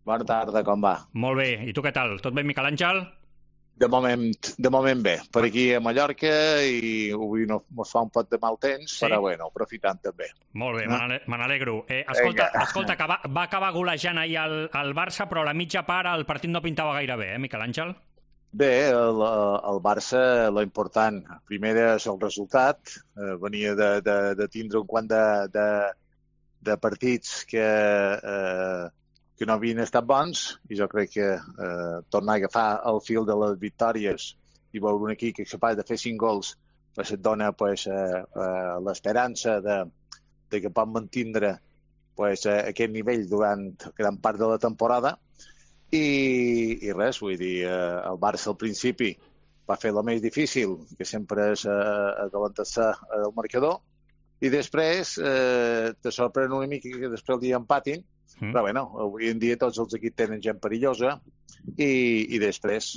Bona tarda, com va? Molt bé. I tu què tal? Tot bé, Miquel Àngel? De moment bé. Per aquí a Mallorca i avui no mos fa un pot de mal temps, Sí? però bueno, aprofitant també. Molt bé, No? me n'alegro. Vinga. Escolta, que va acabar golejant ahir el Barça, però a la mitja part el partit no pintava gaire bé, Miquel Àngel? Bé, el Barça, lo important, primer és el resultat. Venia de tindre un quant de partits que no havien estat bons i jo crec que tornar a agafar el fil de les victòries i veure un equip que és capaç de fer 5 gols pues, et dona pues, l'esperança de que pot mantindre pues, aquest nivell durant gran part de la temporada i res, vull dir, el Barça al principi va fer el més difícil, que sempre és adelantar-se al marcador, i després te sorprèn una mica que després el dia empatin, però bueno, avui en dia tots els equips tenen gent perillosa i després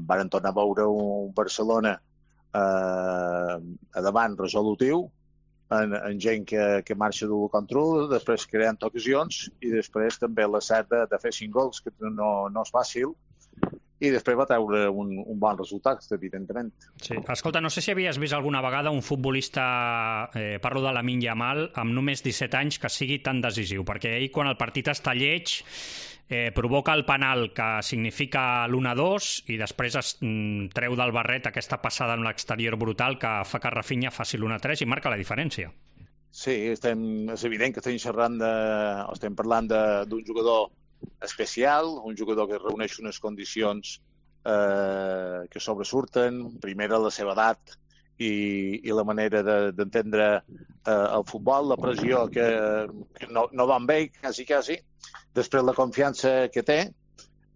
van tornar a veure un Barcelona a davant resolutiu, en gent que marxa d'un contra un, després creant ocasions i després també la cert de fer 5 gols, que no és fàcil, i després va treure un bon resultat, evidentment. Sí. Escolta, no sé si havies vist alguna vegada un futbolista, parlo de Lamine Yamal, amb només 17 anys, que sigui tan decisiu, perquè ell, quan el partit està lleig, provoca el penal que significa l'1-2 i després es treu del barret aquesta passada en l'exterior brutal que fa que Rafinha faci l'1-3 i marca la diferència. Sí, és evident que estem parlant d'un jugador especial, un jugador que reuneix unes condicions que sobresurten, primera la seva edat i la manera d'entendre el futbol, la pressió que no va amb ell, quasi, després la confiança que té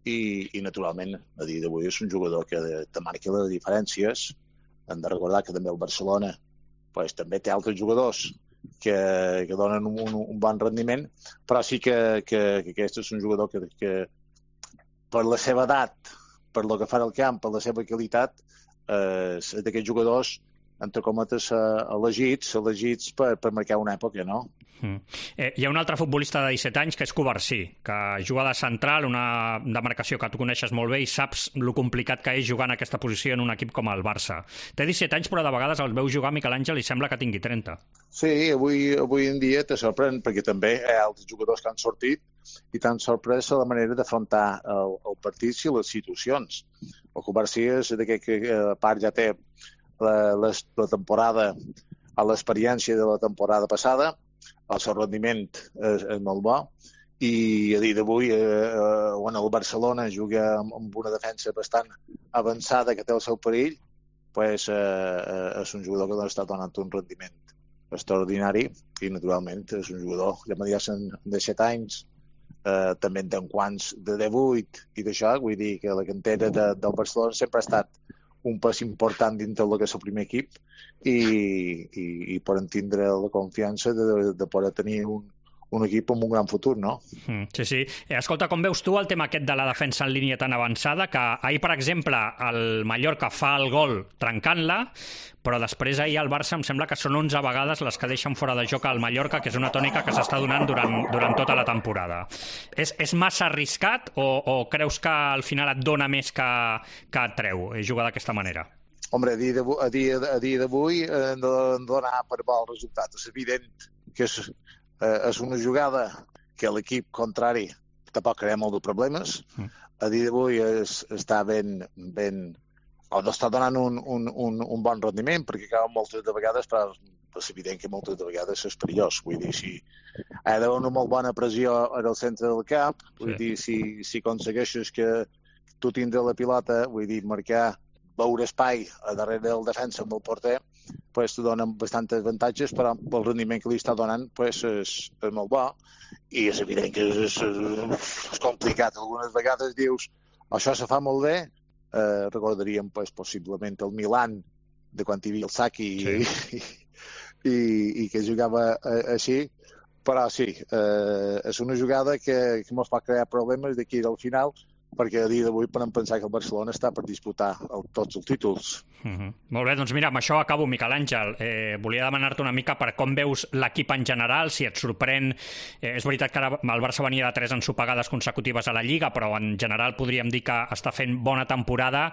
i naturalment, a dia d'avui és un jugador que te marca les diferències. Hem de recordar que també el Barcelona pues, també té altres jugadors que donen un bon rendiment, però sí que aquest és un jugador que per la seva edat, per lo que fa al camp, per la seva qualitat, és d'aquests jugadors, entre cometes, elegits per marcar una època, no? Hi ha un altre futbolista de 17 anys que és Covarsí, que juga de central, una demarcació que tu coneixes molt bé i saps lo complicat que és jugar en aquesta posició en un equip com el Barça. Té 17 anys, però de vegades el veus jugar, Miquel Àngel, i sembla que tingui 30. Sí, avui en dia te sorprèn, perquè també hi ha altres jugadors que han sortit i t'han sorprès la manera d'afrontar el partit i les situacions. El Covarsí és d'aquest que a part ja té la temporada, l'experiència de la temporada passada, el seu rendiment és molt bo i a dia d'avui quan el Barcelona juga amb una defensa bastant avançada que té el seu perill, pues, és un jugador que està donant un rendiment extraordinari i naturalment és un jugador, ja m'ha dit, de 7 anys, també en té quants de 18 i d'això, vull dir que la cantera del Barcelona sempre ha estat un pas important dintre del que és el primer equip i poden tindre la confiança de poder tenir un equip amb un gran futur, no? Sí. Escolta, com veus tu el tema aquest de la defensa en línia tan avançada, que ahir, per exemple, el Mallorca fa el gol trencant-la, però després ahir al Barça em sembla que són 11 vegades les que deixen fora de joc al Mallorca, que és una tònica que s'està donant durant tota la temporada. És massa arriscat o creus que al final et dona més que et treu jugar d'aquesta manera? Hombre, a dia d'avui hem de donar per bo el resultat. És evident que és una jugada que l'equip contrari tampoc crea molt de problemes. A dia d'avui està ben o no està donant un bon rendiment, perquè cauen moltes de vegades, però és evident que moltes de vegades és perillós. Vull dir, si ha d'haver una molt bona pressió al centre del camp, vull dir, si aconsegueixes que tu tindre la pilota, vull dir, marcar, veure espai a darrere del defensa amb el porter, pues, t'ho donen bastants avantatges, però el rendiment que li està donant pues, és molt bo i és evident que és complicat. Algunes vegades dius això se fa molt bé, recordaríem pues, possiblement el Milan de quan hi havia el Saki i que jugava així, però sí, és una jugada que ens pot crear problemes d'aquí al final, perquè a dia d'avui podem pensar que el Barcelona està per disputar tots els títols. Molt bé, doncs mira, amb això acabo, Miquel Àngel. Volia demanar-te una mica per com veus l'equip en general, si et sorprèn. És veritat que ara el Barça venia de 3 ensopegades consecutives a la Lliga, però en general podríem dir que està fent bona temporada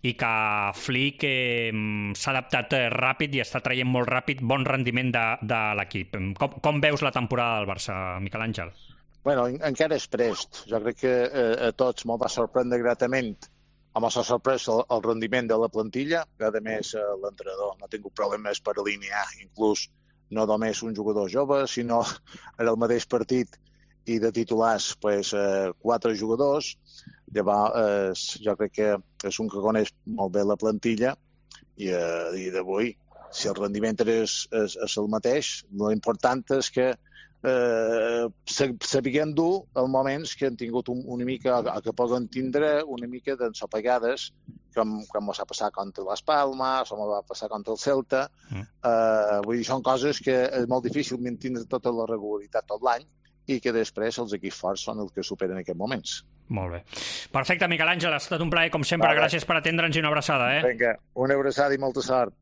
i que Flick s'ha adaptat ràpid i està traient molt ràpid bon rendiment de l'equip. Com veus la temporada del Barça, Miquel Àngel? Bueno, encara és prest. Jo crec que a tots me'l va sorprendre gratament. Home, s'ha sorprès el rendiment de la plantilla, que a més l'entrenador no ha tingut problemes per alinear, inclús no només un jugador jove, sinó en el mateix partit i de titulars, 4 jugadors. Llavors, jo crec que és un que coneix molt bé la plantilla i a dia d'avui, si el rendiment és el mateix, l'important és que sapiguem dur els moments que han tingut una mica, que poden tindre una mica d'ensopegades, com s'ha passat contra les Palmes, com va passar contra el Celta. Vull dir, són coses que és molt difícil mantenir tota la regularitat tot l'any i que després els equips forts són els que superen aquests moments. Molt bé. Perfecte, Miquel Àngel, ha estat un plaer, com sempre. Gràcies per atendre'ns i una abraçada. Vinga, una abraçada i molta sort.